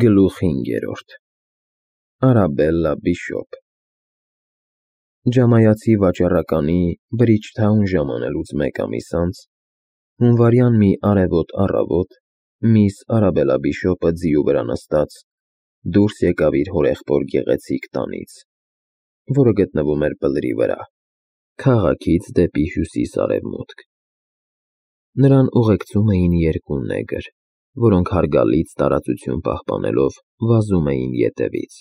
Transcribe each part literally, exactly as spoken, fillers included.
Գլուխ հինգերորդ Արաբելլա Բիշոպ Ջամայացի վաճառականի Բրիջթաուն ժամանելուց մեկ ամիս անց, հունվարյան մի արևոտ առավոտ, միս Արաբելլա Բիշոպը ձիու վրա նստած դուրս եկավ իր հորեղբոր գեղեցիկ տանից, որը գտնվում էր բլրի վրա, քաղաքից դեպի հյուսիս֊արևմուտք։ Նրան ուղեկցում էին երկու նեգր, որոնք հարգալից տարածություն պահպանելով վազում էին ետևից։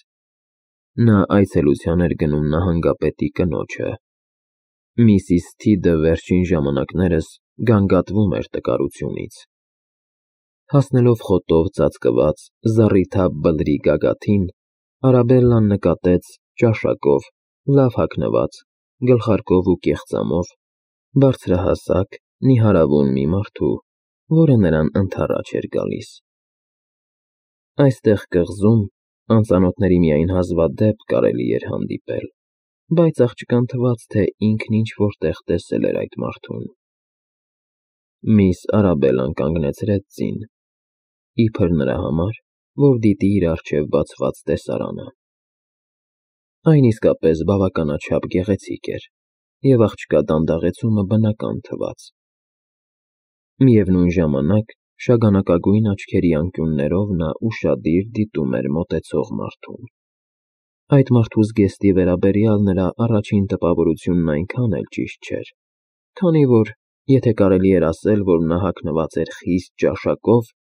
Նա այցելության էր գնում նահանգապետի կնոջը։ Միսիս Թիդը վերջին ժամանակներս գանգատվում էր տկարությունից։ Հասնելով խոտով ծածկված զառիթափ բլրի գագաթին, Արաբելլան նկատեց ճաշակով, լավ հագնված, գլխարկով ու կեղծամով, բարձրահասակ, նիհարավուն մի մարդու, որը նրան ընդառաջ էր գալիս։ Այստեղ կղզում անծանոթների միայն հազվադեպ կարելի էր հանդիպել, բայց աղջկան թվաց, թե ինքն ինչ-որ տեղ տեսել էր այդ մարդուն։ Միս Արաբելլան կանգնեցրեց ձին, իբր նրա համար, որ դիտի իր առջև բացված տեսարանը։ Այն իսկապես բավականաչափ գեղեցիկ էր, և աղջկա դանդաղեցումը բնական թվաց։ Միևնույն ժամանակ, շագանակագույն աչքերի անկյուններով նա ուշադիր դիտում էր մոտեցող մարդուն։ Այդ մարդու զգեստի վերաբերյալ նրա առաջին տպավորությունն այնքան էլ ճիշտ չէր, քանի որ, եթե կարելի էր ասել, որ նա հագնված էր խիստ ճաշակով,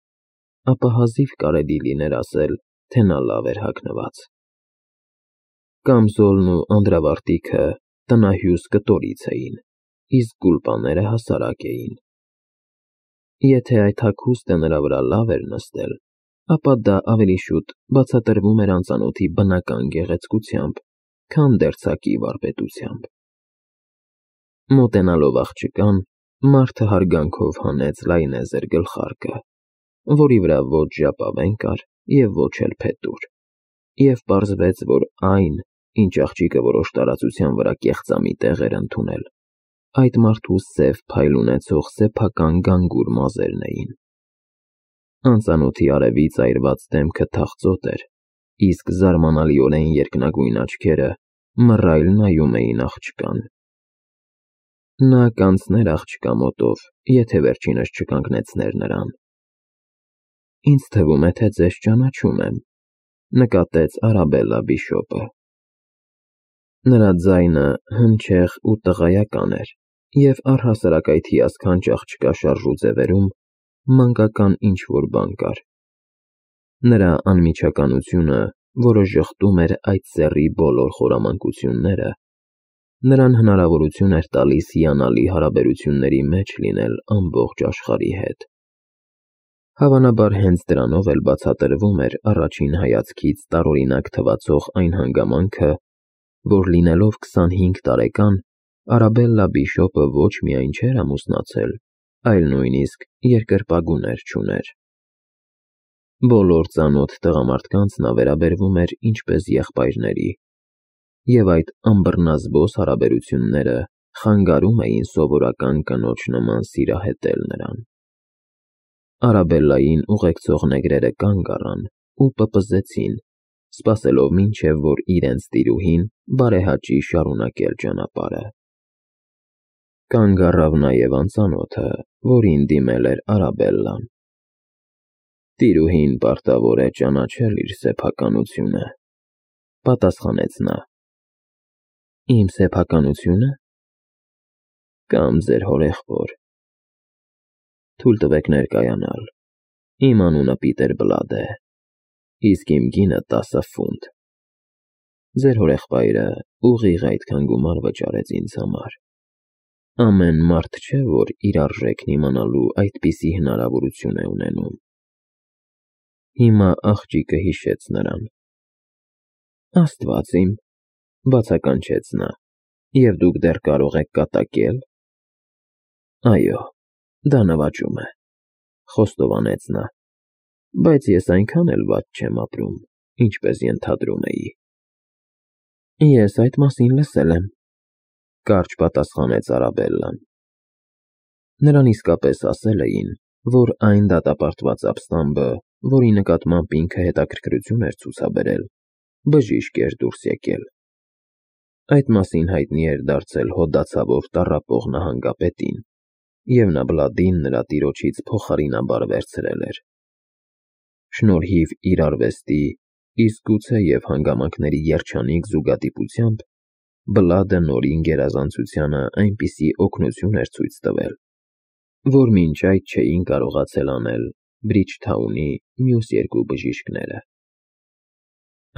ապա հազիվ կարելի լիներ ասել, թե նա լավ էր հագնված։ Կամզոլն ու անդրավարտիքը տնահյուս կտորից էին, իսկ գուլպաները հասարակ էին։ Եթե այդ հագուստը նրա վրա լավ էր նստել, ապա դա ավելի շուտ բացատրվում էր անծանոթի բնական գեղեցկությամբ, քան դերձակի վարպետությամբ։ Մոտենալով աղջկան, մարդը հարգանքով հանեց լայնեզր գլխարկը, որի վրա ոչ ժապավեն կար և ոչ էլ փետուր, և պարզվեց, որ այն, ինչ աղջիկը որոշ տարածության վրա կեղծամիտ էր ընդունել, այդ մարդու սև փայլ ունեցող սեփական գանգուր մազերն էին։ Անծանոթի արևից այրված դեմքը թախծոտ էր, իսկ զարմանալիորեն երկնագույն աչքերը մռայլ նայում էին աղջկան։ Նա կանցներ աղջկա մոտով, եթե վերջինս չկանգնեցներ նրան։ Ինձ թվում է, թե ձեզ ճանաչում եմ, նկատեց Արաբելլա Բիշոպը։ Նրա ձայնը հնչեղ ու տղայական էր, և առհասարակ այդ հիասքանչ աղջկա շարժու ձևերում մանկական ինչ-որ բան կար։ Նրա անմիջականությունը, որը ժխտում էր այդ սեռի բոլոր խորամանկությունները, նրան հնարավորություն էր տալիս հիանալի հարաբերությունների մեջ լինել ամբողջ աշխարհի հետ։ Հավանաբար հենց դրանով էլ բացատրվում էր առաջին հայացքից տարօրինակ թվացող այն հանգամանքը, որ լինելով քսանհինգ տարեկան, Արաբելլա Բիշոպը ոչ միայն չէր ամուսնացել, այլ նույնիսկ երկրպագուներ չուներ։ Բոլոր ծանոթ տղամարդկանց նա վերաբերվում էր ինչպես եղբայրների, և այդ անբռնազբոս հարաբերությունները խանգարում էին սովորական կնոջ նման սիրահետել նրան։ Արաբելլային ուղեկցող նեգրերը կանգ առան ու պպզեցին, սպասելով մինչև որ իրենց տիրուհին բարեհաճի շարունակել ճանապարհը։ Կանգ առավ նաև անծանոթը, որին դիմել էր Արաբելլան։ Տիրուհին պարտավոր է ճանաչել իր սեփականությունը, պատասխանեց նա։ Իմ սեփականությո՞ւնը։ Կամ ձեր հորեղբոր։ Թույլ տվեք ներկայանալ։ Իմ անունը Պիտեր Բլադ է, իսկ իմ գինը տասը ֆունտ։ Ձեր հորեղբայրը ուղիղ այդքան գումար վճարեց ինձ համար։ Ամեն մարդ չէ, որ իր արժեքն իմանալու այդպիսի հնարավորություն է ունենում։ Հիմա աղջիկը հիշեց նրան։ Աստված իմ, բացականչեց նա, և դուք դեռ կարող եք կատակել։ Այո, դա նվաճում է, խոստովանեց նա, բայց ես այնքան էլ վատ չեմ ապրում, ինչպես ենթադրում էի։ Ես այդ մասին լսել եմ, կարճ պատասխանեց Արաբելլան։ Նրան իսկապես ասել էին, որ այն դատապարտված ապստամբը, որի նկատմամբ ինքը հետաքրքրություն էր ցուցաբերել, բժիշկ էր դուրս եկել։ Այդ մասին հայտնի էր դարձել հոդացավով տառապող նահանգապետին, և նա Բլադին նրա տիրոջից փոխարինաբար վերցրել էր։ Շնորհիվ իր արվեստի, իսկ գուցե և հանգամանքների երջանիկ զուգադիպությամբ, Բլադը Նորին գերազանցությանը այնպիսի օգնություն էր ցույց տվել, որ մինչ այդ չէին կարողացել անել Բրիջթաունի մյուս երկու բժիշկները։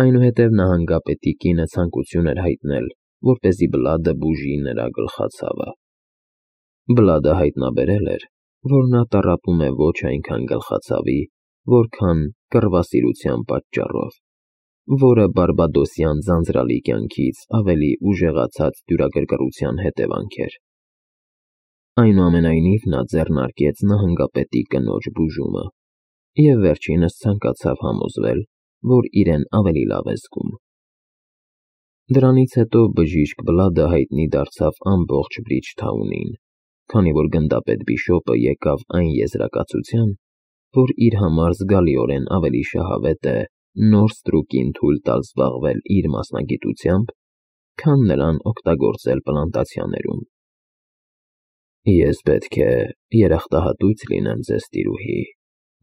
Այնուհետև նահանգապետի կինը ցանկություն էր հայտնել, որպեսզի Բլադը բուժի նրա գլխացավը։ Բլադը հայտնաբերել էր, որ նա տառապում է ոչ այնքան գլխացավի, որքան կռվասիրության պատճառով, որը բարբադոսյան ձանձրալի կյանքից ավելի ուժեղացած դյուրագրգռության հետևանք էր։ Այնուամենայնիվ նա ձեռնարկեց նահանգապետի կնոջ բուժումը և վերջինս ցանկացավ համոզվել, որ իրեն ավելի լավ է զգում։ Դրանից հետո բժիշկ Բլադը հայտնի դարձավ ամբողջ Բրիջթաունին, քանի որ գնդապետ Բիշոպը եկավ այն եզրակացության, որ իր համար զգալիորեն ավելի շահավետ է նոր ստրուկին թույլ տալ զբաղվել իր մասնագիտությամբ, քան նրան օգտագործել պլանտացիաներում։ Ես պետք է երախտահատույց լինեմ ձեզ, տիրուհի,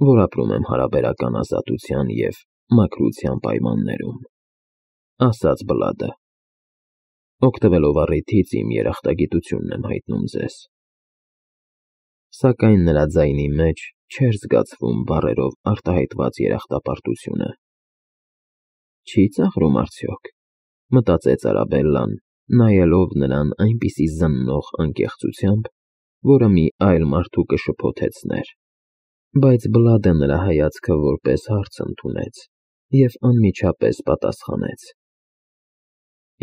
որ ապրում եմ հարաբերական ազատության և մաքրության պայմաններում, ասաց Բլադը։ Օգտվելով առիթից իմ երախտագիտությունն եմ հայտնում ձեզ։ Սակայն նրա ձայնի մեջ չէր զգացվում բառերով արտահայտված երախտապարտությունը։ Չի՞ ծաղրում արդյոք, մտածեց Արաբելլան, նայելով նրան այնպիսի զննող անկեղծությամբ, որը մի այլ մարդու կշփոթեցներ, բայց Բլադը նրա հայացքը որպես հարց ընդունեց և անմիջապես պատասխանեց.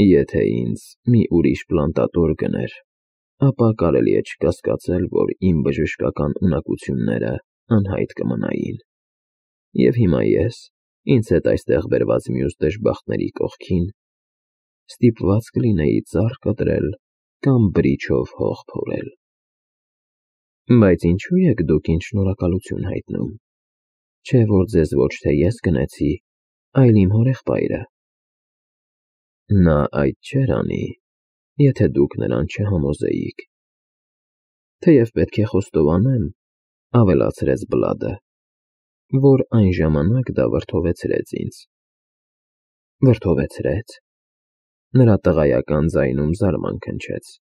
Եթե ինձ մի ուրիշ պլանտատոր գներ, ապա կարելի է չկասկածել, որ իմ բժշկական ունակությունները անհայտ կմնային, և հիմա ես, ինձ հետ այստեղ բերված մյուս դժբախտների կողքին, ստիպված կլինեի ծառ կտրել կամ բրիչով հող փորել։ Բայց ինչո՞ւ եք դուք ինձ շնորհակալություն հայտնում, չէ՞ որ ձեզ ոչ թե ես գնեցի, այլ իմ հորեղբայրը։ Նա այդ չէր անի, եթե դուք նրան չհամոզեիք։ Թեև պետք է խոստովանեմ, ավելացրեց Բլադը, որ այն ժամանակ դա վրդովեցրեց ինձ։ Վրդովեցրե՞ց։ Նրա տղայական ձայնում զարմանք հնչեց։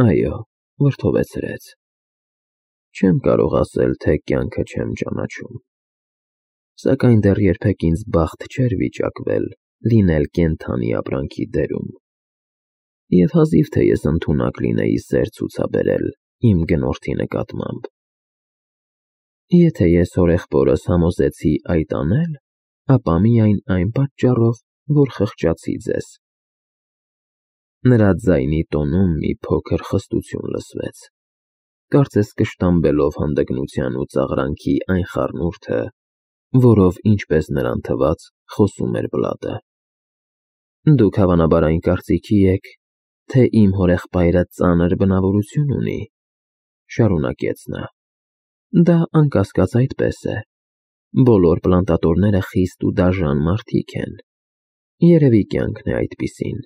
Այո, վրդովեցրեց։ Չեմ կարող ասել, թե կյանքը չեմ ճանաչում, սակայն դեռ երբեք ինձ բախտ չէր վիճակվել լինել կենդանի ապրանքի դերում, և հազիվ թե ես ընդունակ լինեի սեր ցուցաբերել իմ գնորդի նկատմամբ։ Եթե ես հորեղբորս համոզեցի այդ անել, ապա միայն այն պատճառով, որ խղճացի ձեզ։ Նրա ձայնի տոնում մի փոքր խստություն լսվեց, կարծես կշտամբելով հանդգնության ու ծաղրանքի այն խառնուրդը, որով, ինչպես նրան թվաց, խոսում էր Բլադը։ Դուք հավանաբար այն կարծիքի եք, թե իմ հորեղբայրը ծանր բնավորություն ունի, շարունակեց նա։ Դա անկասկած այդպես է։ Բոլոր պլանտատորները խիստ ու դաժան մարդիկ են։ Երևի կյանքն է այդպիսին։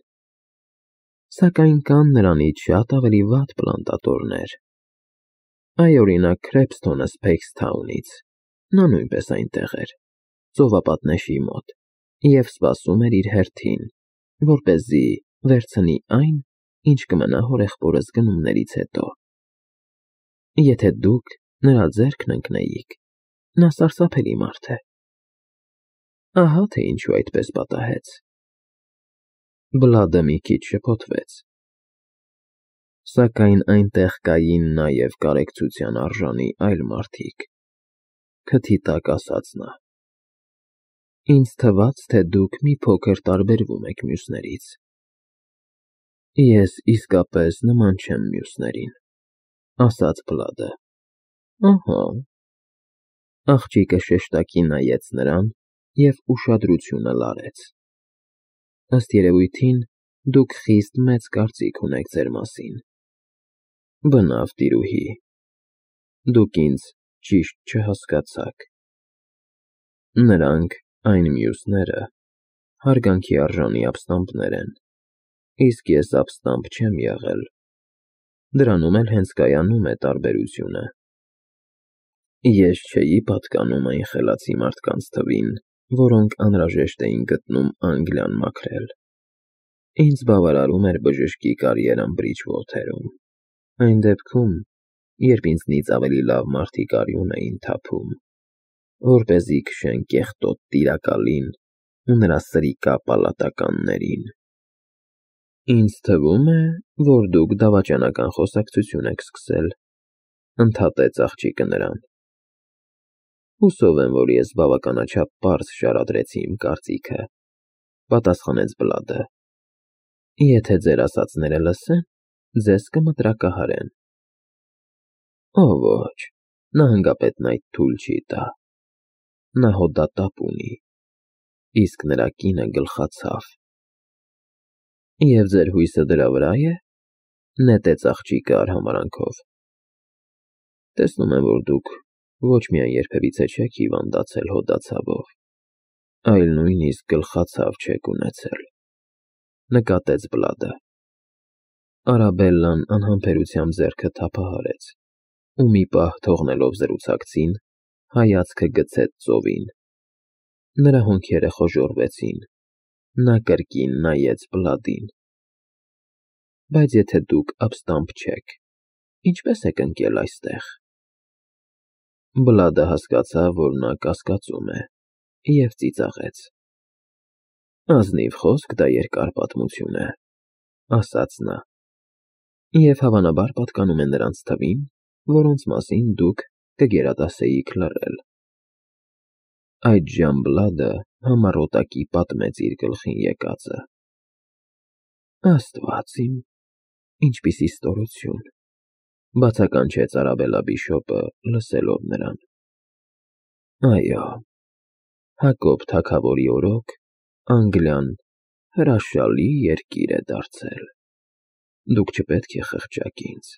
Սակայն կան նրանից շատ ավելի վատ պլանտատորներ։ Այ օրինակ Քրեփսթոնը Սփեյքսթաունից, նա նույնպես այնտեղ էր, ծովապատնեշի մոտ, և սպասում էր իր հերթին, որպեսզի վերցնի այն, ինչ կմնա հորեղբորս գնումներից հետո։ Եթե դուք նրա ձեռքն ընկնեիք, նա սարսափելի մարդ է։ Ահա թե ինչու այդպես պատահեց։ Բլադը մի քիչ շփոթվեց։ Սակայն այնտեղ կային նաև կարեկցության արժանի այլ մարդիկ, քթի տակ ասաց նա։ Ինձ թվաց, թե դուք մի փոքր տարբերվում եք մյուսներից։ Ես իսկապես նման չեմ մյուսներին, ասաց Բլադը։ Ահա։ Աղջիկը շեշտակի նայեց նրան և ուշադրությունը լարեց։ Ըստ երևույթին, դուք խիստ մեծ կարծիք ունեք ձեր մասին։ Բնավ, տիրուհի, դուք ինձ ճիշտ չհասկացաք։ Նրանք, այն մյուսները, հարգանքի արժանի ապստամբներ են, իսկ ես ապստամբ չեմ եղել, դրանում էլ հենց կայանում է տարբերությունը։ Ես չէի պատկանում այն խելացի մարդկանց թվին, որոնք անհրաժեշտ էին գտնում Անգլիան մաքրել։ Ինձ բավարարում էր բժշկի կարիերան Բրիջվոթերում, այն դեպքում, երբ ինձնից ավելի լավ մարդիկ արյուն էին թափում, որպեսզի քշեն կեղտոտ Տիրակալին ու նրա սրիկա պալատականներին։ Ինձ թվում է, որ դուք դավաճանական խոսակցություն եք սկսել, ընդհատեց աղջիկը նրան։ Հուսով եմ, որ ես բավականաչափ պարզ շարադրեցի իմ կարծիքը, պատասխանեց Բլադը։ Եթե ձեր ասածները լսեն, ձեզ կմտրակահարեն։ Ո ոչ, նահանգապետն այդ թույլ չի տա։ Նա հոդատապ ունի, իսկ նրա կինը գլխացավ։ Եվ ձեր հույսը դրա վրա է, նետեց աղջիկը արհամարհանքով։ Տեսնում եմ, որ դուք ոչ միայն երբևիցե չեք հիվանդացել հոդացավով, այլ նույնիսկ գլխացավ չեք ունեցել, նկատեց Բլադը։ Արաբելլան անհամբերությամբ ձեռքը թափահարեց ու մի պահ թողնելով զրուցակցին, հայացքը գցեց ծովին։ Նրա հոնքերը խոժոռվեցին, նա կրկին նայեց Բլադին։ Բայց եթե դուք ապստամբ չեք, ինչպե՞ս եք ընկել այստեղ։ Բլադը հասկացավ, որ նա կասկածում է, և ծիծաղեց։ Ազնիվ խոսք, դա երկար պատմություն է, ասաց նա, և հավանաբար պատկանում է նրանց թվին, որոնց մասին դուք կգերադասեիք լռել։ Այդժամ Բլադը համառոտակի պատմեց իր գլխին եկածը։ Աստված իմ, ինչպիսի ստորություն, բացականչեց Արաբելլա բիշոպը, լսելով նրան։ Այո, Հակոբ թագավորի օրոք Անգլիան հրաշալի երկիր է դարձել։ Դուք չպետք է խղճաք ինձ։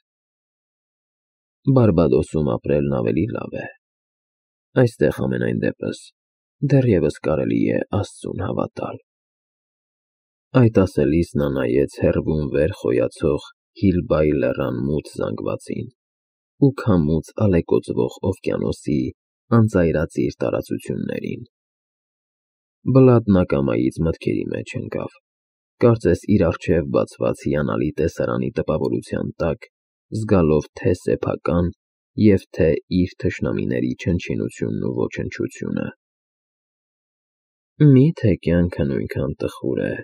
Բարբադոսում ապրելն ավելի լավ է։ Այստեղ համենայն դեպս դեռևս կարելի է Աստծուն հավատալ։ Այդ ասելիս նա նայեց հեռվում վեր խոյացող Հիլբայի լեռան մութ զանգվածին ու քամուց ալեկոծվող օվկիանոսի անծայրածիր տարածություններին։ Բլադն ակամայից մտքերի մեջ ընկավ, կարծես իր առջև բացված հիանալի տեսարանի տպավորության տակ զգալով թե սեփական և թե իր թշնամիների չնչինությունն ու ոչնչությունը։ Մի՞թե կյանքը նույնքան տխուր է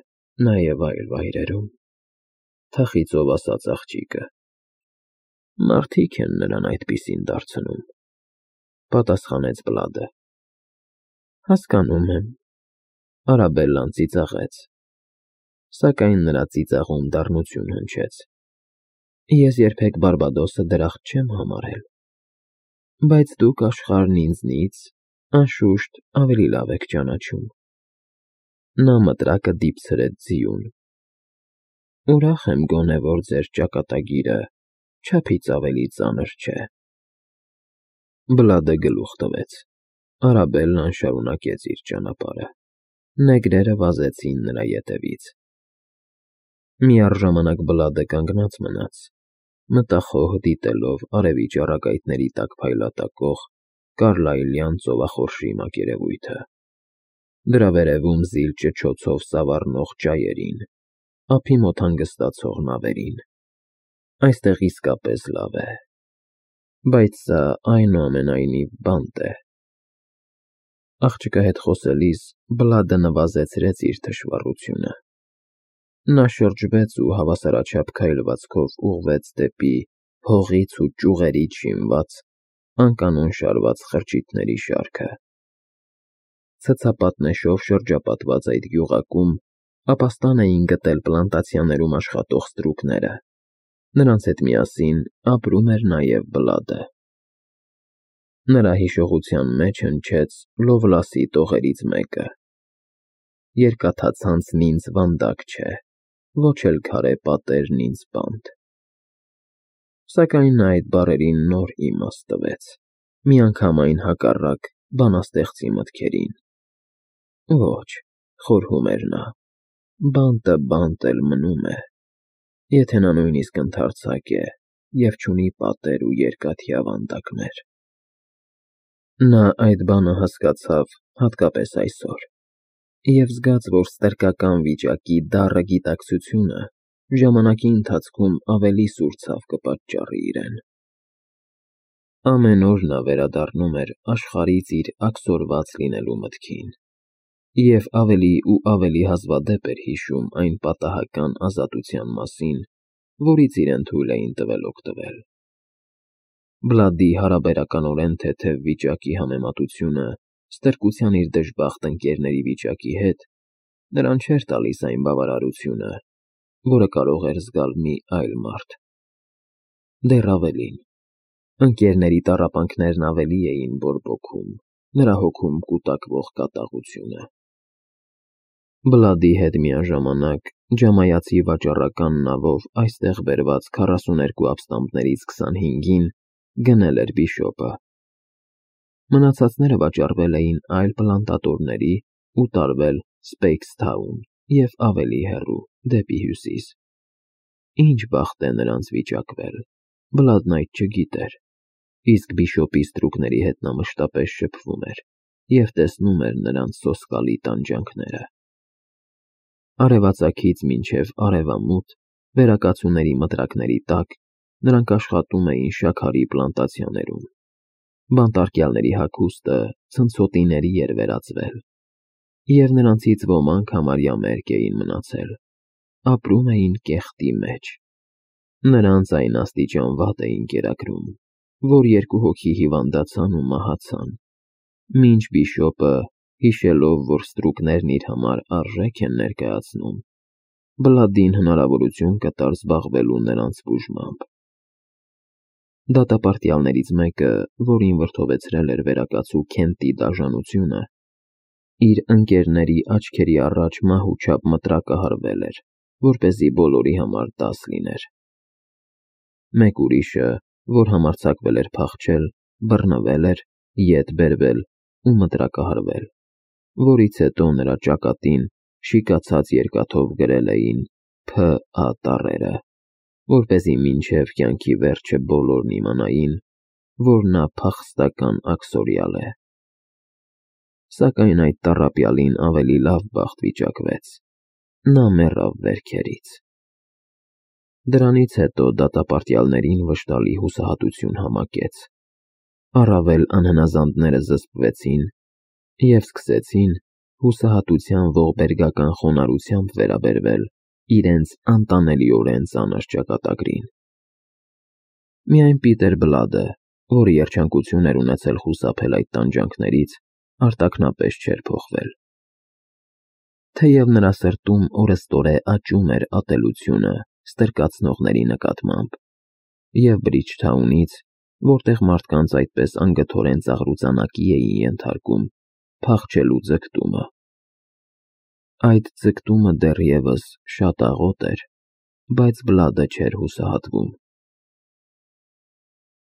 նաև այլ վայրերում, թախիծով ասաց աղջիկը։ Մարդիկ են նրան այդպիսին դարձնում, պատասխանեց Բլադը։ Հասկանում եմ, Արաբելլան ծիծաղեց, սակայն նրա ծիծաղում դառնություն հնչեց։ Ես երբեք Բարբադոսը դրախտ չեմ համարել, բայց դուք աշխարհն ինձնից, անշուշտ, ավելի լավ եք ճանաչում։ Նա մտրակը դիպցրեց ձիուն։ Ուրախ եմ գոնե, որ ձեր ճակատագիրը չափից ավելի ծանր չէ։ Բլադը գլուխ տվեց։ Արաբելլան շարունակեց իր ճանապարհը։ Նեգրերը վազեցին նրա ետևից։ Միառժամանակ Բլադը կանգնած մնաց, մտախոհ դիտելով արևի ճառագայթների տակ փայլատակող կարլայլյան ծովախորշի մակերևույթը, դրա վերևում զիլ ճչոցով սավառնող ճայերին, ափի մոտ հանգստացող նավերին։ Այստեղ իսկապես լավ է, բայց սա այնուամենայնիվ բանտ է։ Աղջկա հետ խոսելիս Բլադը նվազեցրեց իր թշվառությունը։ Նա շրջվեց ու հավասարաչափ քայլվածքով ուղղվեց դեպի հողից ու ճյուղերից շինված, անկանոն շարված խրճիթների շարքը։ Ցցապատնեշով շրջապատված այդ գյուղակում ապաստան էին գտել պլանտացիաներում աշխատող ստրուկները։ Նրանց հետ միասին ապրում էր նաև Բլադը։ Նրա հիշողության մեջ հնչեց Լովլասի տողերից մեկը. Երկաթացանցն ինձ վանդակ չէ, ոչ էլ քարե պատերն ինձ բանտ։ Սակայն նա այդ բառերին նոր իմաստ տվեց, միանգամայն հակառակ բանաստեղծի մտքերին։ Ոչ, խորհում էր նա, բանտը բանտ էլ մնում է, եթե նա նույնիսկ ընդարձակ է և չունի պատեր ու երկաթի ավանդակներ։ Նա այդ բանը հասկացավ հատկապես այսօր, և զգաց, որ ստրկական վիճակի դառը գիտակցությունը ժամանակի ընթացքում ավելի սուր ցավ կպատճառի իրեն։ Ամեն օր նա վերադառնում էր աշխարհից իր աքսորված լինելու մտքին և ավելի ու ավելի հազվադեպ էր հիշում այն պատահական ազատության մասին, որից իրեն թույլ էին տվել օգտվել։ Բլադի հարաբերականորեն թեթև վիճակի համեմատությունը ստրկության իր դժբախտ ընկերների վիճակի հետ նրան չէր տալիս այն բավարարությունը, որը կարող էր զգալ մի այլ մարդ։ Դեռ ավելին, ընկերների տառապանքներն ավելի էին բորբոքում նրա հոգում կուտակվող կատաղությունը։ Բլադի հետ միաժամանակ ջամայացի վաճառական նավով այստեղ բերված քառասուներկու ապստամբներից քսանհինգին գնել էր բիշոպը։ Մնացածները վաճառվել էին այլ պլանտատորների ու տարվել Սփեյքսթաուն և ավելի հեռու, դեպի հյուսիս։ Ինչ բախտ է նրանց վիճակվել, Բլադն այդ չգիտեր, իսկ բիշոպի ստրուկների հետ նա մշտապես շփվում էր և տեսնում էր նրանց սոսկալի տանջանքները։ Արևածագից մինչև արևամուտ վերակացուների մտրակների տակ նրանք աշխատում էին շաքարի պլանտացիաներում։ Բանտարկյալների հագուստը ցնցոտիների էր վերածվել, և նրանցից ոմանք համարյա մերկ էին մնացել, ապրում էին կեղտի մեջ։ Նրանց այն աստիճան վատ էին կերակրում, որ երկու հոգի հիվանդացան ու մահացան, մինչ բիշոպը, հիշելով, որ ստրուկներն իր համար արժեք են ներկայացնում, Բլադին հնարավորություն կտար զբաղվելու նրանց բուժմամբ։ Դատապարտյալներից մեկը, որին վրդովեցրել էր վերակացու Քենտի դաժանությունը, իր ընկերների աչքերի առաջ մահու չափ մտրակը հարվել էր, որպեսզի բոլորի համար դաս լիներ։ Մեկ ուրիշը, որ համարձակվել էր փախչել, բռնվել էր, ետ բերվել ու մտրակը հարվել, որից հետո նրա ճակատին շիկացած երկաթով գրել էին Փ Ա տառերը, որպեսզի մինչև կյանքի վերջը բոլորն իմանային, որ նա փախստական աքսորյալ է։ Սակայն այդ տառապյալին ավելի լավ բախտ վիճակվեց. նա մեռավ վերքերից։ Դրանից հետո դատապարտյալներին վշտալի հուսահատություն համակեց։ Առավել անհնազանդները զսպվեցին և սկսեցին հուսահատության ողբերգական խոնարհությամբ վերաբերվել իրենց անտանելիորեն ծանր ճակատագրին։ Միայն Պիտեր Բլադը, որը երջանկություն էր ունեցել խուսափել այդ տանջանքներից, արտաքնապես չէր փոխվել։ Թեև նրա սրտում օրըստօրե աճում էր ատելությունը ստրկացնողների նկատմամբ, և Բրիջթաունից, որտեղ մարդկանց այդպես անգթորեն ծաղրուծանակի էին ենթարկում, փախչելու ձգտումը։ Այդ ձգտումը դեռևս շատ աղոտ էր, բայց Բլադը չէր հուսահատվում։